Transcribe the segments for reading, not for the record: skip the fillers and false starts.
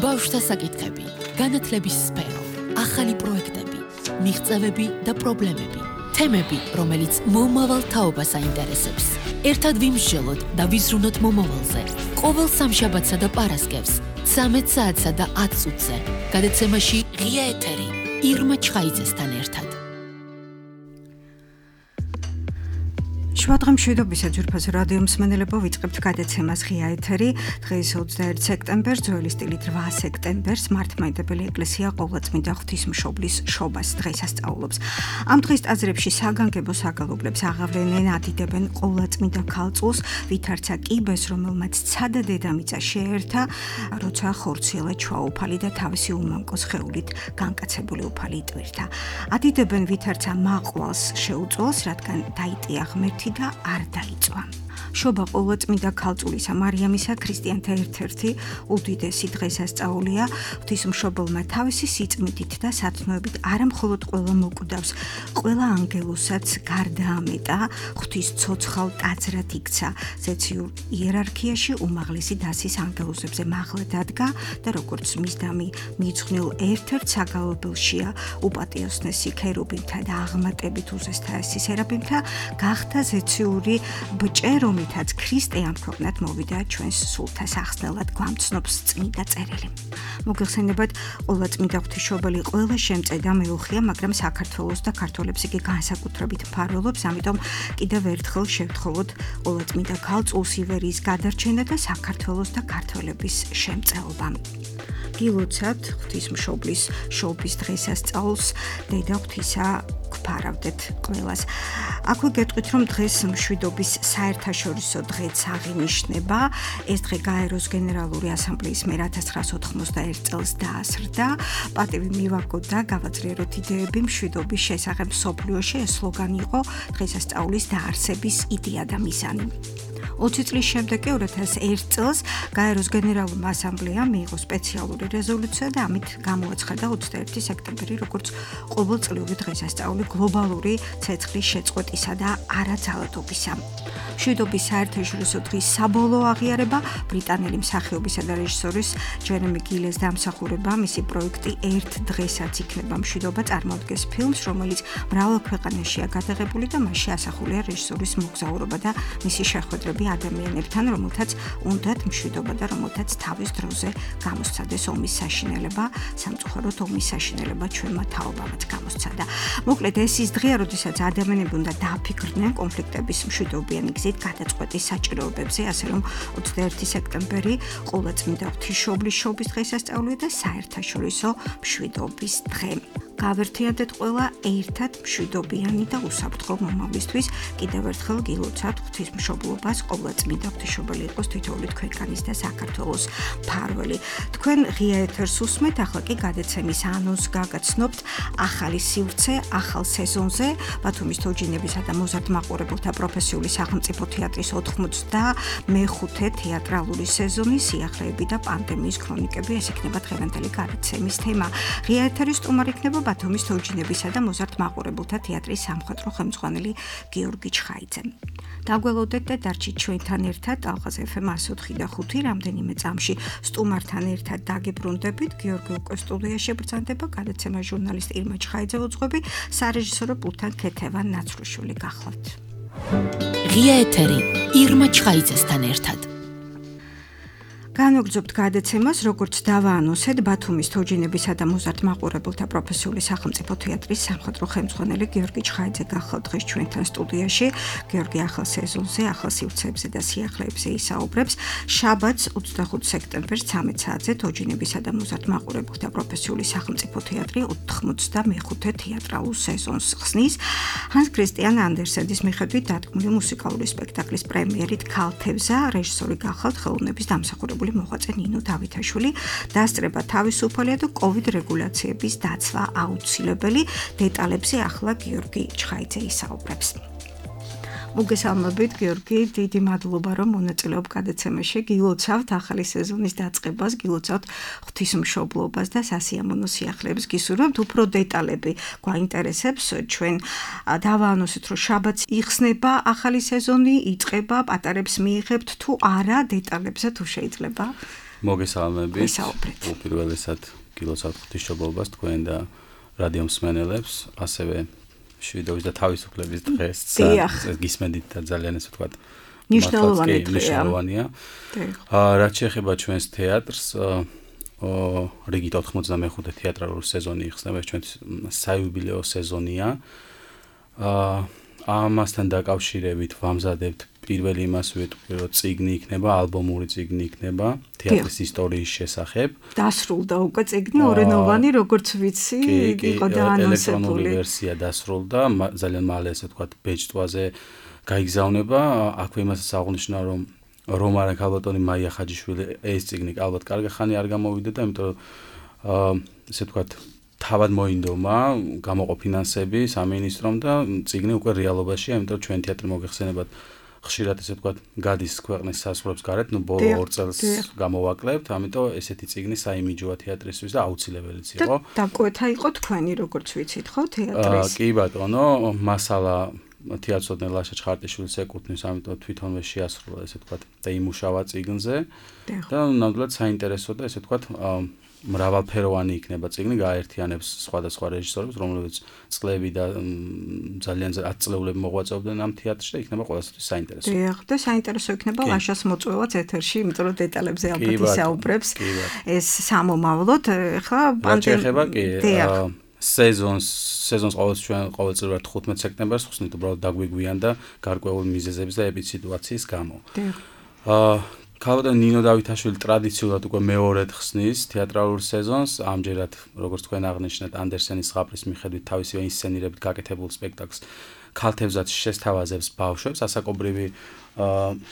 ბავშვთა საკითხები, განათლების სფერო, ახალი პროექტები, მიღწევები და პრობლემები, თემები, რომელიც მომავალ თაობას აინტერესებს. ერთად ვიმსჯელოთ და ვიზრუნოთ მომავალზე. ყოველ სამშაბათსა და პარასკევს, 13 საათსა და 10 წუთზე. გადაცემაში ღია ეთერი, ირმა ჩხაიძესთან ერთად. შვადღამშვიდობისა ძვირფასო რადიო მსმენელებო, ვიწყებთ გადაცემას ღია ეთერი. დღეს 21 სექტემბერს, ძველი სტილით 8 სექტემბერს, მართლმადიდებელი ეკლესია ყოვლადწმინდა ღვთისმშობლის შობას დღესასწაულობს. ამ დღის ტაძრებში საგანგებო საგალობლებს აღავლენენ, ადიდებენ ყოვლადწმინდა ქალწულს, ვითარცა კიბეს, რომელმაც ცადა დედამიწა შეერთა, როცა ხორციელა ჩვაუფალი და თავისი უმამკო სხეულით განკაცებული უფალი იტვირთა. ადიდებენ ვითარცა მაყვალს შეუწვავს, რადგან დაიტია ღმერთი და არ დაიწვა. შობა ყოვლადწმინდა ქალწულისა მარიამისა ქრისტიანთა ერთ-ერთი უდიდესი დღესასწაულია. ღვთისმშობელმა თავისი სიწმიდით და სათნოებით არა მხოლოდ ყველა მოკვდავს, ყველა ანგელოსაც გარდაამეტა, ღვთის ცოცხალ ტაძრად იქცა, ზეციურ იერარქიაში უმაღლესი დასის ანგელოზებზე მაღლა დადგა და როგორც მისდამი მიძღვნილ ერთ-ერთ საგალობელშია უპატიოსნესი ქერუბინთა და აღმატებით უზესთაესი სერაფიმთა, გახდა ზეციური ბჭე, რომლითაც ქრისტე ამ ქვეყნად მოვიდა ჩვენს სულთა სახსნელად გვამცნობს წმინდა წერილი. მოგეხსენებათ, ყოვლადწმინდა ღვთისმშობელი ყველა შემწე და მეუხია, მაგრამ საქართველოს და ქართველებს იგი განსაკუთრებით მფარველობს, ამიტომ კიდევ ერთხელ შევთხოვოთ ყოვლადწმინდა ქალწულს ივერიის გადარჩენა და საქართველოს და ქართველების შემწეობა. გილოცავთ ღვთისმშობლის შობის დღესასწაულს, დედა ღვთისა გვფარავდეთ ყველას. აქვე გეტყვით, რომ დღეს მშვიდობის საერთაშორისო დღეც აღინიშნება. ეს დღე გაეროს გენერალური ასამბლეის მიერ 1991 წელს დაასრულა. პატივი მივაგოთ და გავაძლიეროთ იდეები მშვიდობის შესახებ მსოფლიოში. ეს სლოგანი იყო დღესასწაულის დაარსების იდეა და მიზანი. 20 წლის შემდეგ 2001 წელს გაეროს გენერალურმა ასამბლეამ მიიღო სპეციალური რეზოლუცია და ამით გამოაცხადა 21 სექტემბერი როგორც ყოველწლიური დღესასწაული გლობალური ცეცხლის შეწყვეტისა და არაძალადობისა. მშვიდობის საერთაშორისო დღის საბოლოო აღიარება ბრიტანელი მსახიობისა და რეჟისორის ჯერემი გილეს დამსახურება, მისი პროექტი ერთ დღესაც იქნება მშვიდობა წარმოადგენს ფილმს, რომელიც მრავალ ქვეყანაშია გადაღებული და მასში ასახულია რეჟისორის მოგზაურობა და მისი შეხვედრები ადამიანებთან, რომელთაც უნდათ მშვიდობა და რომელთაც თავის დროზე გამოსცადეს ომის საშინელება, სამწუხაროდ ომის საშინელება ჩვენმა თაობამაც გამოსცადა. მოკლედ ეს ის დღეა, როდესაც ადამიანები უნდა დააფიქრდნენ კონფლიქტების მშვიდობიანი გზით გადაწყვეტის საჭიროებებზე, ასე რომ 21 სექტემბერი ყოვლადწმინდა ღვთისმშობლის შობის დღესასწაულია და საერთაშორისო მშვიდობის დღე. გავერთიანდეთ ყველა ერთად მშვიდობიანი და უსაფრთხო მომავლისთვის. კიდევ ერთხელ გილოცავთ ღვთისმშობლობას, ყოვლადწმინდა ღვთისმშობელი იყოს თითოეული თქვენგანის და საქართველოს მფარველი. თქვენ ღია ეთერს უსმენთ, ახლა კი გადაცემის ანონსს გაგაცნობთ ახალი სივრცე ახალ სეზონზე. ბათუმის თოჯინებისა და მოზარდ მაყურებელთა პროფესიული სახელმწიფო თეატრის 95 თეატრალური სეზონი, სიახლეები და პანდემიის ქრონიკები, ეს იქნება დღევანდელი გადაცემის თემა. ღია ეთერის სტუმარი იქნება ბათუმის თოჯინებისა და მოზარდ მაყურებელთა თეატრის სამხატვრო ხელმძღვანელი გიორგი ჩხაიძე. დაგველოდეთ და დარჩით ჩვენთან ერთად ალღაზ FM 104 და 5 რამდენიმე წამში სტუმართან ერთად დაგებრუნდებით. გიორგი უკვე სტუდიაში ბრძანდება, გადაცემა ჟურნალისტ ირმა ჩხაიძე უძღვები, სარეჟისორო პულტთან ქეთევან ნაცრუშვილი გახლავთ. ღია ეთერი, ირმა ჩხაიძესთან ერთად. განვაგრძობთ გადაცემას, როგორც დავაანონსეთ, ბათუმის თოჯინებისა და მოზარდ მაყურებელთა პროფესიული სახელმწიფო თეატრის სამხატვრო ხელმძღვანელი გიორგი ჩხაიძე გახლავთ დღეს ჩვენთან სტუდიაში. გიორგი ახალ სეზონზე, ახალ სივრცეებზე და სიახლეებზე ისაუბრებს. შაბათს 25 სექტემბერს 13 საათზე თოჯინებისა და მოზარდ მაყურებელთა პროფესიული სახელმწიფო თეატრი 95 თეატრალურ სეზონს ხსნის. ჰანს ქრისტიან ანდერსენის მიხედვით დადგმული მუსიკალური სპექტაკლის პრემიერით ქალთევზა რეჟისორი გახლავთ ხელოვნების დამსახურებული მოღვაწე ნინო დავითაშვილი. დასწრება თავისუფალია და COVID რეგულაციების დაცვა აუცილებელი. დეტალებზე ახლა გიორგი ჩხაიძე ისაუბრებს. მოგესალმებით გიორგი, დიდი მადლობა რომ მონაწილეობ გადაცემაში. გილოცავთ ახალი სეზონის დაწყებას, გილოცავთ ღვთისმშობლობას და სასიამოვნო სიახლეებს გისურვებთ. უფრო დეტალები გვაინტერესებს. ჩვენ დავაანონსეთ, რომ შაბათს იხსნება ახალი სეზონი, იწყება, პატარებს მიიღებთ თუ არა, დეტალებზე თუ შეიძლება. მოგესალმებით. უპირველესად გილოცავთ ღვთისმშობლობას თქვენ და რადიო მსმენელებს, ასევე შვიდობის და თავისუფლების დღეს გისმენდით და ძალიან ესე ვთქვათ მნიშვნელოვანია. რაც შეეხება ჩვენს თეატრს, რიგით 95 თეატრალური სეზონი იხსნება, ჩვენს საიუბილეო სეზონია. ამასთან დაკავშირებით ვამზადებთ პირველი იმას ვეტყვი, რომ წიგნი იქნება, ალბომური წიგნი იქნება თეატრის ისტორიის შესახებ. დასრულდა უკვე წიგნი ორენოვანი, როგორც ვიცი, იყო დაანონსებული. ელექტრონული ვერსია დასრულდა, ძალიან მალე ესე ვთქვათ ბეჭდვაზე გაიგზავნება. აქვე იმასაც აღნიშნა, რომ რომარა ქალბატონი მაია ხაჯიშვილი ეს წიგნი ალბათ კარგი ხანი არ გამოვიდა და იმიტომ რომ ესე ვთქვათ თავად მოინდომა გამოყო ფინანსები სამინისტრომ და წიგნი უკვე რეალობაშია, იმიტომ რომ ჩვენ თეატრი მოგეხსენებათ ხშირად ესე ვთქვათ გადის ქვეყნის საზღვრებს გარეთ, ბოლო 2 წელს გამოვაკლებთ, ამიტომ ესეთი წიგნი საიმიჯოა თეატრისთვის და აუცილებელიც იყო. და კვეთა იყო თქვენი, როგორც ვიცით, ხო, თეატრის? კი ბატონო, მასალა თეატრსოდნე ლაშა ჩხარტიშვილს ეკუთვნის, ამიტომ თვითონვე შეასრულა ესე ვთქვათ და იმუშავა წიგნზე და ნამდვილად საინტერესო და ესე ვთქვათ მრავალფეროვანი იქნება წიგნი, გააერთიანებს სხვადასხვა რეჟისორებს, რომლებიც წლები და ძალიან 10 წლეულები მოღვაწეობდნენ ამ თეატრში და იქნება ყველასთვის საინტერესო. დიახ, და საინტერესო იქნება ლაშას მოწვევაც ეთერში, იმიტომ რომ დეტალებზე ალბათ ისაუბრებს ეს სამომავლოდ. ეხლა პანდემია სეზონს ყოველწლიურად 15 სექტემბერს ხსნით, უბრალოდ დაგვიგვიან და გარკვეული მიზეზების და ეპიდსიტუაციის გამო. ქალბატონ ნინო დავითაშვილი ტრადიციულად უკვე მეორედ ხსნის თეატრალურ სეზონს, ამჯერად როგორც თქვენ აღნიშნეთ, ანდერსენის ზღაპრის მიხედვით თავისივე ინსცენირებით გაკეთებულ სპექტაკლს ქალთევზაც შესთავაზებს ბავშვებს, ასაკობრივი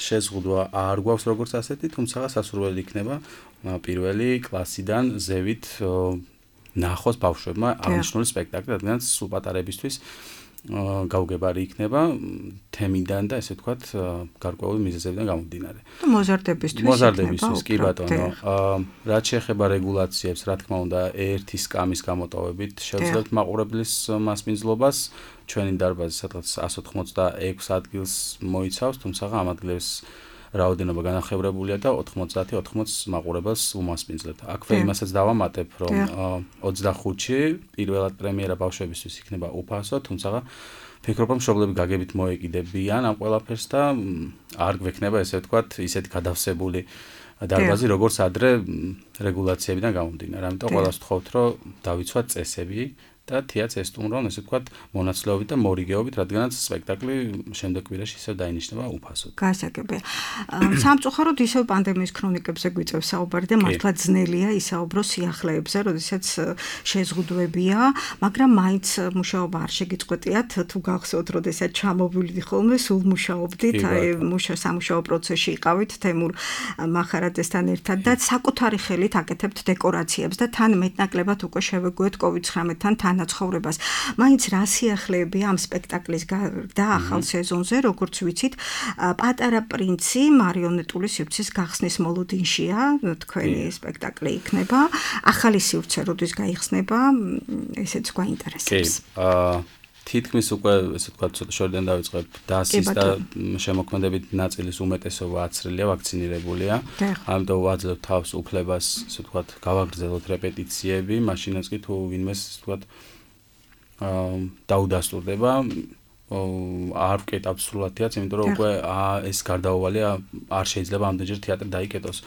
შეზღუდვა არ გვაქვს როგორც ასეთი, თუმცა სასურველი იქნება პირველი კლასიდან ზევით ნახოს ბავშვებმა აღნიშნული სპექტაკლი, რადგან სულ პატარებისთვის გაუგებარი იქნება თემიდან და ესე ვთქვათ გარკვეული მიზეზებიდან გამომდინარე. მოზარდებისთვის კი ბატონო. რაც შეეხება რეგულაციებს, რა თქმა უნდა, ერთი სკამის გამოტოვებით შევძლებთ მაყურებლის მასპინძლობას. ჩვენი დარბაზი სადღაც 186 ადგილს მოიცავს, თუმცა ამ ადგილებს რაოდენობა განახევრებულია და 90 მაყურებელს უმასპინძლებთ. აქვე იმასაც დავამატებ, რომ 25-ში პირველად პრემიერა ბავშვებისთვის იქნება უფასო, თუმცა ფიქრობ, რომ მშობლები გაგებით მოეკიდებიან ამ ყველაფერს და არ გვექნება ესე ვთქვათ ისეთი გადავსებული დარბაზი, როგორც ადრე რეგულაციებიდან გამომდინარე. ამიტომ ყველას ვთხოვთ, რომ დავიცვათ წესები და თეატრს ესტუმრონ, ესე ვთქვათ, მონაცვლეობით და მორიგეობით, რადგანაც სპექტაკლი შემდეგ კვირაში ისევ დაინიშნება უფასოდ. გასაგებია. სამწუხაროდ ისევ პანდემიის ქრონიკებზე გვიწევს საუბარი და მართლა ძნელია ისაუბრო სიახლეებზე, როდესაც შეზღუდვებია, მაგრამ მაინც მუშაობა არ შეგიწყვეტიათ, თუ გახსოვთ, როდესაც ჩამოვიდით ხოლმე, სულ მუშაობდით, სამუშაო პროცესში იყავით თემურ მახარაძესთან ერთად და საკუთარი ხელით აკეთებთ დეკორაციებს და თან მეტნაკლებად უკვე შევეგუეთ COVID-19-თან განაცხოვრებას. მაინც რა სიახლეებია ამ სპექტაკლის და ახალ სეზონზე, როგორც ვიცით, პატარა პრინცი მარიონეტული სივრცის გახსნის მოლოდინშია, თქვენი სპექტაკლი იქნება. ახალი სივრცე როდის გაიხსნება, ესეც გვაინტერესებს. თითქმის უკვე, ესე ვთქვათ, ცოტა შორიდან დავიწყებ დასის და შემოქმედებით ნაწილის უმეტესობა აცრილია, ვაქცინირებულია. ამიტომ ვაძლევთ თავს უფლებას, ესე ვთქვათ, გავაგრძელოთ რეპეტიციები, მაშინაც კი თუ ვინმეს, ესე ვთქვათ, დაუდასტურდება, არ ვკეტავთ სრულად თეატრს, იმიტომ რომ უკვე ეს გარდაუვალი არ შეიძლება ამდენჯერ თეატრი დაიკეტოს.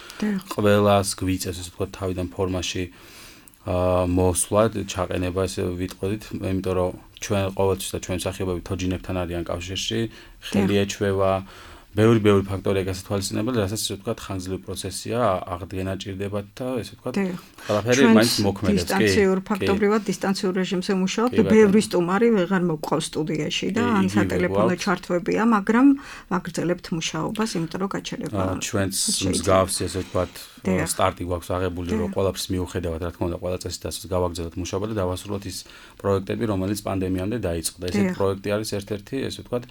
ყველას გვიწევს, ესე ვთქვათ, თავიდან ფორმაში მოსვლა, ჩაყენება, ესე ვიტყოდით, იმიტომ რომ ჩვენ ყოველთვის და ჩვენ მსახიობები თოჯინებთან არიან კავშირში, ხელი ეჩვევა, ბევრი ფაქტორია გასათვალისწინებელი, რასაც ესე ვთქვათ, ხანგრძლივი პროცესია, აღდგენა ჭირდებათ და ესე ვთქვათ, ყველაფერი მაინც მოქმედებს, კი. დისტანციურ ფაქტობრივად დისტანციურ რეჟიმზე მუშაობთ, ბევრი სტუმარი ვეღარ მოგყავს სტუდიაში და ან სატელეფონო ჩართვებია, მაგრამ ვაგრძელებთ მუშაობას, იმიტომ რომ გაჩერება. ჩვენც მსგავსი ესე ვთქვათ, სტარტი გვაქვს აღებული, რომ ყველაფრის მიუხედავად, რა თქმა უნდა, ყველა წესით ასე გავაგრძელოთ მუშაობა და დავასრულოთ ის პროექტები, რომელიც პანდემიამდე დაიწყო. ესეთი პროექტი არის ერთ-ერთი, ესე ვთქვათ,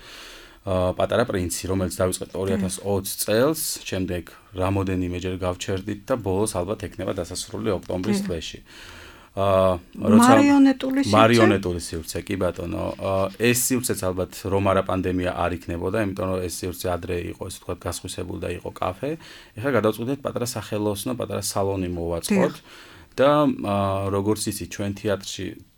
პატარა პრინცი, რომელიც დავიწყეთ 2020 წელს, შემდეგ რამოდენიმეჯერ გავჩერდით და ბოლოს ალბათ ექნება დასასრული ოქტომბრის თვეში. მარიონეტული სივრცე, კი ბატონო. ეს სივრცეც ალბათ რომ არა პანდემია არ იქნებოდა, იმიტომ რომ ეს სივრცე ადრე იყო, ესე ვთქვათ, გასხვისებული და იყო კაფე. ეხლა გადავწყვიტეთ პატარა სახელოსნო, პატარა სალონი მოვაწყოთ და როგორც იცით, ჩვენ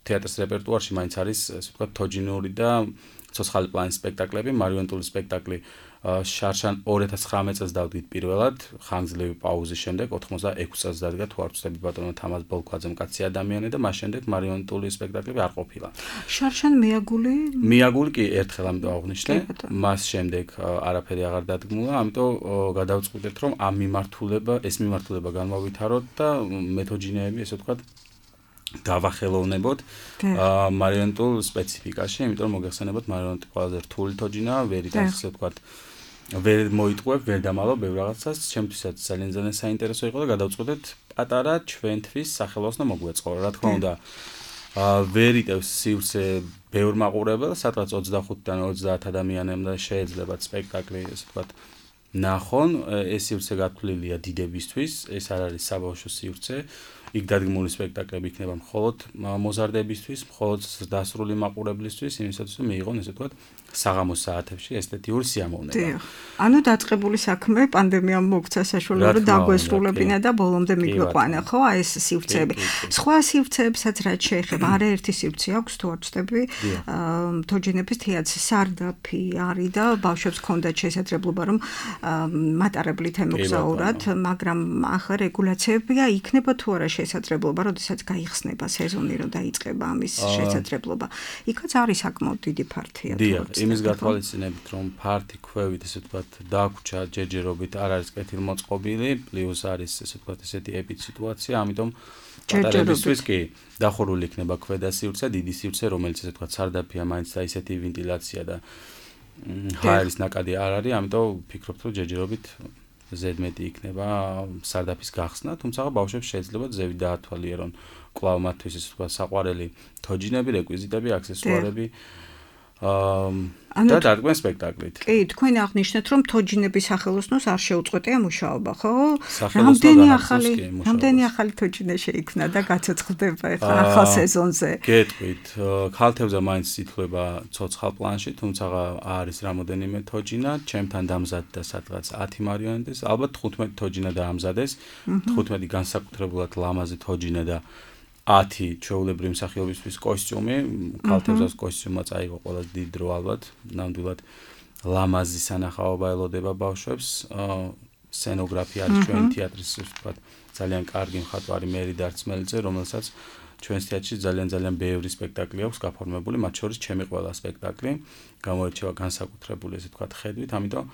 თეატრის რეპერტუარში მაინც არის, ესე ვთქვათ, თოჯინური და ცოცხალი პლანის სპექტაკლები, მარიონეტული სპექტაკლი შარშან 2019 წელს დავდგით პირველად, ხანგრძლივი პაუზის შემდეგ 86 წელს დადგა, თუ არ ვცდები ბატონო თამაზ ბოლქვაძემ კაცი ადამიანი და მას შემდეგ მარიონეტული სპექტაკლები არ ყოფილა. შარშან მიაგული კი ერთხელ ამიტომ აღნიშნე, მას შემდეგ არაფერი აღარ დადგმულა, ამიტომ გადავწყვიტეთ რომ ეს მიმართულება განვავითაროთ და მეთოჯინეები, ესე ვთქვათ, დავახელოვნებოთ მარიონეტულ სპეციფიკაში, იმიტომ რომ მოგეხსენებათ მარიონეტი ყველაზე რთული თოჯინაა, ვერიდან ესე ვთქვათ, ვერ მოიტყუებ, ვერ დამალავ ბევრ რაღაცას, ჩემთვისაც ძალიან საინტერესო იყო და გადავწყვეტეთ პატარა ჩვენთვის სახელოსნო მოგვეწყო. რა თქმა უნდა, ვერ იტევს სივრცე ბევრ მაყურებელს, სადღაც 25-დან 30 ადამიანამდე შეეძლებათ სპექტაკლი, ესე ვთქვათ, ნახონ, ეს სივრცე გათვლილია დიდებისთვის, ეს არ არის საბავშვო სივრცე. იქ დადგმული სპექტაკლები იქნება მხოლოდ მოზარდებისთვის, მხოლოდ დასრული მაყურებლისთვის, იმისათვის რომ მიიღონ, ესე ვთქვათ, საღამოს საათებში ესთეტიური სიამოვნება. ანუ დაწყებული საქმე პანდემიამ მოგცა საშუალება რომ დაგვესრულებინა და ბოლომდე მიგვიყვანა, ხო, აი ეს სივრცეები. სხვა სივრცეებსაც რაც შეეხება, არაერთი სივრცე აქვს, თუ არ ვცდები, თოჯინების თეატრს სარდაფი არის და ბავშვებს ჰქონდათ შესაძლებლობა რომ მატარებლით ემოგზაურათ, მაგრამ ახლა რეგულაციებია იქნება თუ არა შესაძლებლობა, როდესაც გაიხსნება სეზონი, რომ დაიწყება ამის შესაძლებლობა. იქაც არის საკმაოდ დიდი ფართია. იმის გათვალისწინებით, რომ ფართი ქვევით, ესე ვთქვათ, დაგვრჩა ჯერჯერობით არ არის კეთილმოწყობილი, პლუს არის, ესე ვთქვათ, ესეთი ეპიდსიტუაცია, ამიტომ პატარებისთვის კი დახურული იქნება ქვედა სივრცე, დიდი სივრცე, რომელიც ესე ვთქვათ, სარდაფია, მაინც და ისეთი ვენტილაცია და ჰაერის ნაკადი არ არის, ამიტომ ვფიქრობთ, რომ ჯერჯერობით ზედმეტი იქნება სარდაფის გახსნა, თუმცა ბავშვებს შეიძლება ზევით დაათვალიერონ კვლავ მათთვის, ესე ვთქვათ, საყვარელი თოჯინები, რეკვიზიტები, აქსესუარები და დადგმენ სპექტაკლით. კი, თქვენ აღნიშნეთ, რომ თოჯინების სახელოსნოს არ შეუწყვეტია მუშაობა, ხო? რამდენი ახალი თოჯინე შეიქმნა და გაცოცხლდება ახალ სეზონზე? გეტყვით, ქალთევზა მაინც ითვლება ცოცხალ პლანში, თუმცა არის რამოდენიმე თოჯინა, ჩემთან დამზადდა სადღაც 10 მარიონეტის, ალბათ 15 თოჯინა დაამზადეს, 15 განსაკუთრებულად ლამაზი თოჯინა და 10 ჩვეულებრივი მსახიობისთვის კოსტიუმი, ქალთევზას კოსტიუმმა წაიღო ყველა დიდ დრო ალბათ, ნამდვილად ლამაზი სანახაობა ელოდება ბავშვებს, სცენოგრაფია არის ჩვენი თეატრის, ვთქვათ, ძალიან კარგი მხატვარი მერი დარწმელიძე, რომელსაც ჩვენს თეატრში ძალიან ბევრი სპექტაკლი აქვს გაფორმებული, მათ შორის ჩემი ყველა სპექტაკლი გამოირჩევა განსაკუთრებული, ესე ვთქვათ, ხედვით, ამიტომ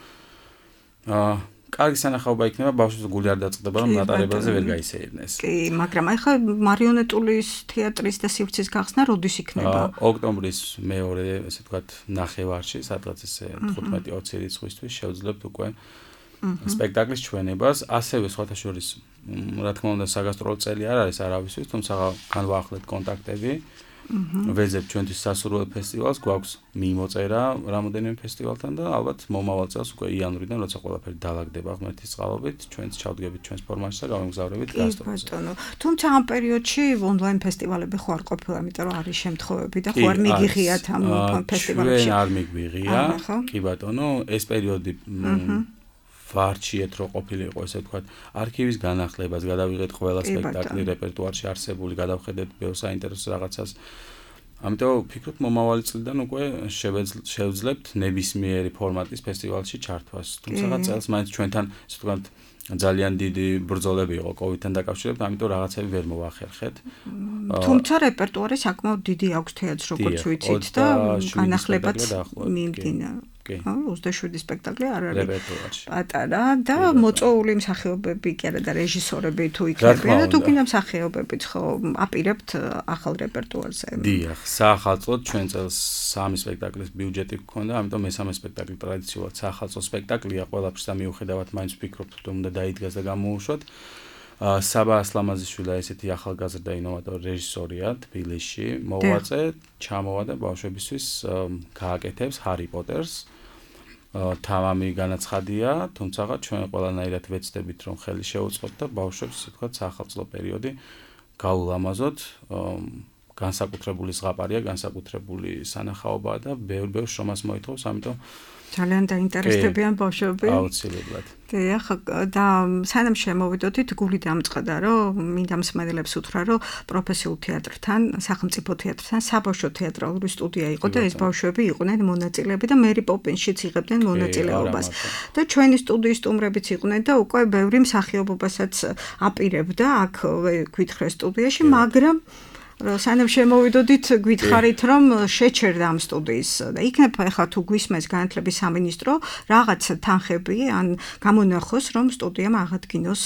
კარგი სანახაობა იქნება, ბავშვებს გული არ დაწყდება, რომ მატარებელზე ვერ გაისეირნეს. კი, მაგრამ ახლა მარიონეტული თეატრის და სივრცის გახსნა როდის იქნება? ოქტომბრის მეორე, ესე ვთქვათ, ნახევარში, სადღაც ესე 15-20 რიცხვისთვის შევძლებთ უკვე სპექტაკლის ჩვენებას, ასევე სხვათა შორის, რა თქმა უნდა, საგასტროლო წელი არ არის არავისთვის, თუმცა განვაახლეთ კონტაქტები. ვეძებთ ჩვენთვის სასურველ ფესტივალს, გვაქვს მიმოწერა რამოდენიმე ფესტივალთან და ალბათ მომავალ წელს უკვე იანვრიდან, როცა ყველაფერი დაალაგდება ღმერთის წყალობით, ჩვენც ჩავდგებით ჩვენს ფორმაშში და გავემგზავრებით გასტროლზე. თუმცა ამ პერიოდში ონლაინ ფესტივალები ხო არ ყოფილა, იმიტომ რომ არის შემთხვევები და ხო არ მიგიღიათ ამ ფესტივალებში. ჩვენ არ მიგვიღია, კი ბატონო, ეს პერიოდი ვარჩიეთ რო ყოფილიყო, ესე ვთქვათ, არქივის განახლებას, გადავიღეთ ყველა სპექტაკლი რეპერტუარში არსებული, გადავხედეთ ბევრ საინტერესო რაღაცას. ამიტომ ვფიქრობ, მომავალი წლიდან უკვე შევძლებთ ნებისმიერი ფორმატის ფესტივალში ჩართვას. თუმცა წელს მაინც ჩვენთან, ესე ვთქვათ, ძალიან დიდი ბრძოლები იყო COVID-თან დაკავშირებით, ამიტომ რაღაცები ვერ მოვახერხეთ. თუმცა რეპერტუარი საკმაოდ დიდი აქვს თეატრს, როგორც ვიცით და განახლებაც მიმდინარე. 27 სპექტაკლი არ არის პატარა და მოწვეული მსახიობები კი არა და რეჟისორები თუ იქნებიან და თუ კიდე მსახიობებიც ხო აპირებთ ახალ რეპერტუარზე. დიახ, საახალწლოდ ჩვენ წელს 3 სპექტაკლის ბიუჯეტი გქონდა, ამიტომ მესამე სპექტაკლი ტრადიციულად საახალწლო სპექტაკლია, ყველაფერს და მიუხედავად მაინც ვფიქრობთ, რომ უნდა დაიდგას და გამოუშვათ. საბა ასლამაზიშვილა ესეთი ახალგაზრდა ინოვატორი რეჟისორია თბილისში, მოვაწე, ჩამოვა და ბავშვებისთვის გააკეთებს ჰარი პოტერს. თამამი განაცხადია, თუმცა ჩვენ ყველანაირად ვეცდებით რომ ხელი შეუწყოთ და ბავშვებს, ასე ვთქვათ, საახალწლო პერიოდი გაულამაზოთ, განსაკუთრებული ზღაპარია, განსაკუთრებული სანახაობაა და ბევრ შრომას მოითხოვს, ამიტომ ძალიან დაინტერესდებიან ბავშვები. აუცილებლად. დიახ, და სანამ შემოვიდოდით, გული დამწყდა, რომ მინდა მსმენელებს უთხრა, რომ პროფესიულ თეატრთან, სახელმწიფო თეატრთან საბავშვო თეატრალური სტუდია იყო და ეს ბავშვები იყვნენ მონაწილეები და მერი პოპინშიც იღებდნენ მონაწილეობას. და ჩვენი სტუდიის სტუმრებიც იყვნენ და უკვე ბევრი მსახიობობასაც აპირებდა აქ გვითხრეს სტუდიაში, მაგრამ სანამ შემოვიდოდით გითხარით რომ შეჩერდა ამ სტუდიის და იქნებ ახლა თუ გვისმენს განათლების სამინისტრო რაღაც თანხები ან გამონახოს რომ სტუდიამ აღადგინოს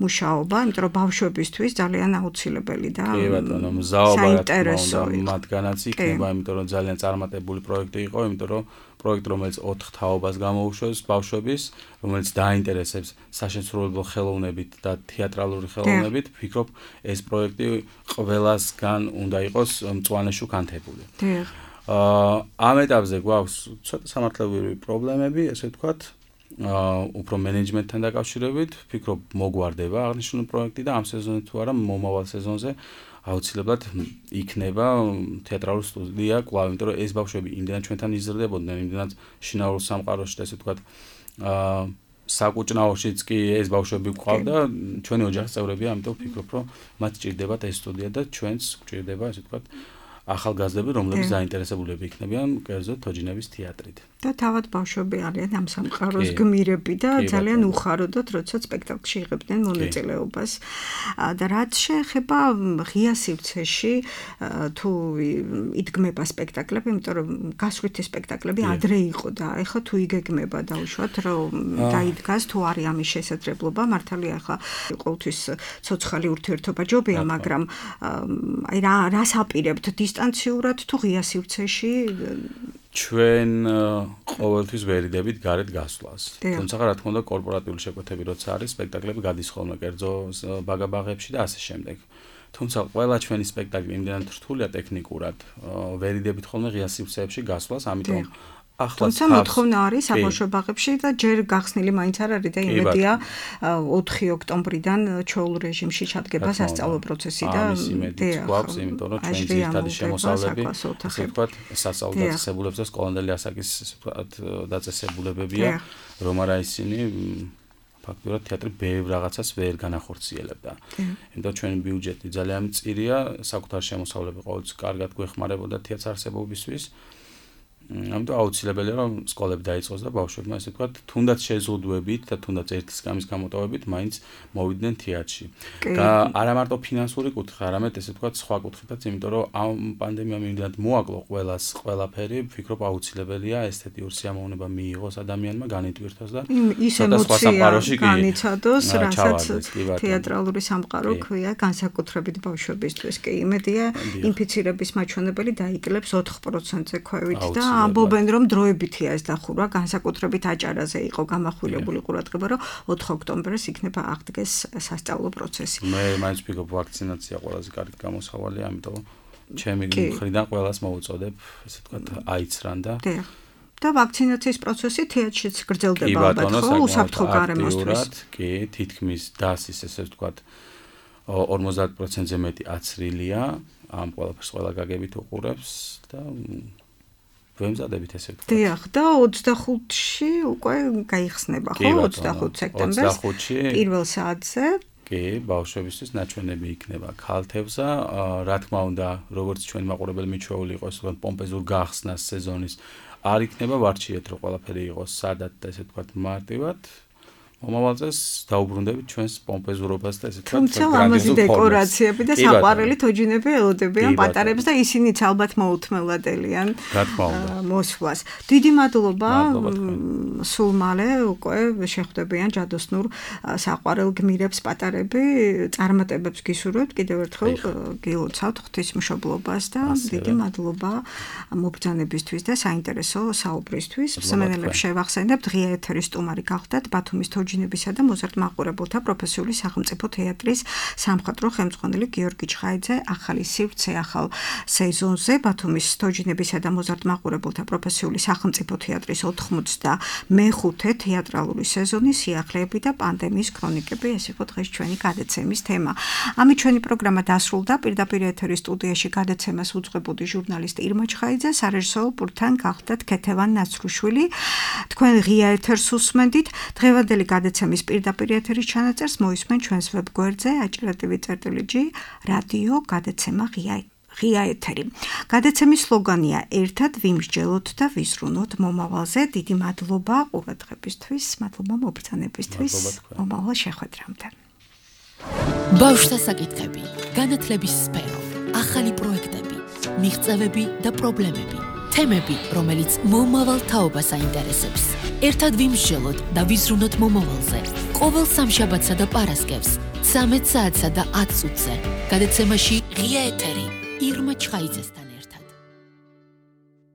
მუშაობა, იმიტომ რომ ბავშვებისთვის ძალიან აუცილებელი და კი ბატონო, საინტერესო მათგანაც იქნება, იმიტომ რომ ძალიან წარმატებული პროექტი იყო, იმიტომ რომ პროექტი, რომელიც 4 თაობას გამოუშვებს ბავშვების, რომელიც დაინტერესებს საშემსრულებლო ხელოვნებით და თეატრალური ხელოვნებით, ვფიქრობ, ეს პროექტი ყველასგან უნდა იყოს მწვანე შუქანთებული. ამ ეტაპზე გვაქვს ცოტა სამართლებრივი პრობლემები, ესე ვთქვათ, უფრო მენეჯმენტთან დაკავშირებით, ვფიქრობ, მოგვარდება აღნიშნული პროექტი და ამ სეზონზე თუ არა, მომავალ სეზონზე აუცილებლად იქნება თეატრალური სტუდია კვლავ, იმიტომ რომ ეს ბავშვები იმდენად ჩვენთან იზრდებოდნენ, იმდენად შინაურ სამყაროში და ესე ვთქვათ, საკუჭნაოშიც კი ეს ბავშვები გვყავდა, ჩვენი ოჯახის წევრები, ამიტომ ვფიქრობ, რომ მათ სჭირდებათ ეს სტუდია და ჩვენც გვჭირდება, ესე ვთქვათ, ახალგაზრდები, რომლებიც დაინტერესებულები იქნებიან კერძოდ თოჯინების თეატრით. და თავად ბავშვები არიან ამ სამყაროს გმირები და ძალიან უხაროდოთ, როცა სპექტაკლში იღებდნენ მონაწილეობას. და რაც შეეხება ღია სივრცეში, თუ იდგმება სპექტაკლები, იმიტომ რომ გასვლითი სპექტაკლები ადრე იყო და ეხლა თუ იგეგმება დაუშვათ, რომ დაიდგას, თუ არის ამის შესაძლებლობა, მართალია ახლა ყოველთვის ცოცხალი ურთიერთობა ჯობია, მაგრამ აი რას აპირებთ დისტანციურად თუ ღია სივრცეში? ჩვენ ყოველთვის ვერიდებით გარეთ გასვლას. თუმცა რა თქმა უნდა კორპორატიული შეკვეთები როცა არის, სპექტაკლები გადის ხოლმე კერძო ბაგაბაღებში და ასე შემდეგ. თუმცა ყველა ჩვენი სპექტაკლი იმდენად რთულია ტექნიკურად, ვერიდებით ხოლმე ღია სივრცეებში გასვლას, ამიტომ თუმცა მოთხოვნა არის საბავშვო ბაღებში და ჯერ გახსნილი მაინც არ არის და იმედია 4 ოქტომბრიდან ჩვეულ რეჟიმში ჩადგება სასწავლო პროცესი და გვაქვს, იმიტომ რომ ჩვენი ძირითადი შემოსავლები, ასე ვთქვათ, სასწავლო დაწესებულებს და სკოლამდელი ასაკის დაწესებულებებია, რომ არა ისინი ფაქტურად თეატრი ბევრ რაღაცას ვერ განახორციელებდა. იმიტომ ჩვენი ბიუჯეტი ძალიან მწირია, საკუთარ შემოსავლები ყოველთვის კარგად გვეხმარებოდა თეატრს არსებობისთვის. ამიტომ აუცილებელია რომ სკოლები დაიწყოს და ბავშვებმა ესე ვთქვათ, თუნდაც შეზღუდვებით და თუნდაც ერთი სკამის გამოტოვებით მაინც მოვიდნენ თეატრში. არა მარტო ფინანსური კუთხე, არამედ ესე ვთქვათ, სხვა კუთხითაც, იმიტომ რომ ამ პანდემიამ იმდენად მოაკლო ყველას ყველაფერი, ვფიქრობ აუცილებელია ესთეტიური სიამოვნება მიიღოს ადამიანმა, განიტვირთოს და ცოტა სხვა სამყაროში განიცადოს, რასაც თეატრალური სამყარო ქვია, განსაკუთრებით ბავშვებისთვის. კი, იმედია ინფიცირების მაჩვენებელი დაიკლებს 4%-ზე ქვევით და ამბობენ რომ დროებითია ეს დახურვა, განსაკუთრებით აჭარაზე იყო გამახვილებული ყურადღება, რომ 4 ოქტომბერს იქნება აღდგეს სასწავლო პროცესი. მე მაინც ვფიქრობ ვაქცინაცია ყველაზე კარგი გამოსავალია, ამიტომ ჩემი მხრიდან ყველას მოვუწოდებ, ესე ვთქვათ, აიცრან და და ვაქცინაციის პროცესი თეატრშიც გრძელდება ალბათ, ხო, უსაფრთხო გარემოსთვის. კი, თითქმის დასის, ესე ვთქვათ, 50%-ზე მეტი აცრილია, ამ ყველაფერს ყველა გაგებით უყურებს და ვემზადებით ესე ვთქვათ. დიახ, და 25-ში უკვე გაიხსნება, ხო, 25 სექტემბერს პირველ საათზე. კი, ბავშვებისთვის ნაჩვენები იქნება ქალთევზა, რა თქმა უნდა, როგორც ჩვენ მაყურებელი მიჩვეული იყოს, რომ პომპეზურ გახსნას სეზონის არ იქნება ვარჩიეთ, რომ ყველაფერი იყოს სადად და ესე ვთქვათ მარტივად. მომავალ წელს დაუბრუნდებით ჩვენს პომპეზურობას და ესე ვთქვათ გრანდიოზულ დეკორაციები და საყვარელი თოჯინები ელოდებიან პატარებს და ისინიც ალბათ მოუთმელადელიან მოსვლას. დიდი მადლობა. სულ მალე უკვე შეხვდებიან ჯადოსნურ საყვარელ გმირებს პატარები, წარმატებებს გისურვებთ კიდევ ერთხელ გილოცავთ ღვთისმშობლობას და დიდი მადლობა მობრძანებისთვის და საინტერესო საუბრისთვის. მსმენელებს შევახსენებთ, ღია ეთერის სტუმარი გახდათ ბათუმის თოჯინებისა და მოზარდ-მაყურებელთა პროფესიული სახელმწიფო თეატრის სამხატვრო ხელმძღვანელი გიორგი ჩხაიძე ახალი სივრცე ახალ სეზონზე ბათუმის თოჯინებისა და მოზარდ-მაყურებელთა პროფესიული სახელმწიფო თეატრის 95-მე თეატრალური სეზონი სიახლეები და პანდემიის ქრონიკები ეს იყო დღეს ჩვენი გადაცემის თემა. ამით ჩვენი პროგრამა დასრულდა. პირდაპირ ეთერის სტუდიაში გადაცემას უძღვებოდი ჟურნალისტი ირმა ჩხაიძე, სარეჟისორო პულტთან გახდათ ქეთევან ნაცრუშვილი. თქვენ ღია ეთერს უსმენდით. დღევანდელი გადაცემის პირდაპირ ეთერის ჩანაწერს მოისმენ ჩვენს ვებგვერდზე aጭრატივი.g რადიო გადაცემა ღია ეთერი. გადაცემის სლოგანია ერთად ვიმსჯელოთ და ვიზრუნოთ მომავალზე. დიდი მადლობა ყურადღებისთვის, მადლობა მობრძანებისთვის. მომავალ შეხვედრამდე. ბავშვთა საკითხები, განათლების სფერო, ახალი პროექტები, მიღწევები და პრობლემები, თემები, რომელიც მომავალ თაობას აინტერესებს. ერთად ვიმსჯელოთ და ვიზრუნოთ მომავალზე. ყოველ სამშაბათსა და პარასკევს 13 საათსა და 10 წუთზე. გადაცემაში ღია ეთერი ირმა ჩხაიძესთან.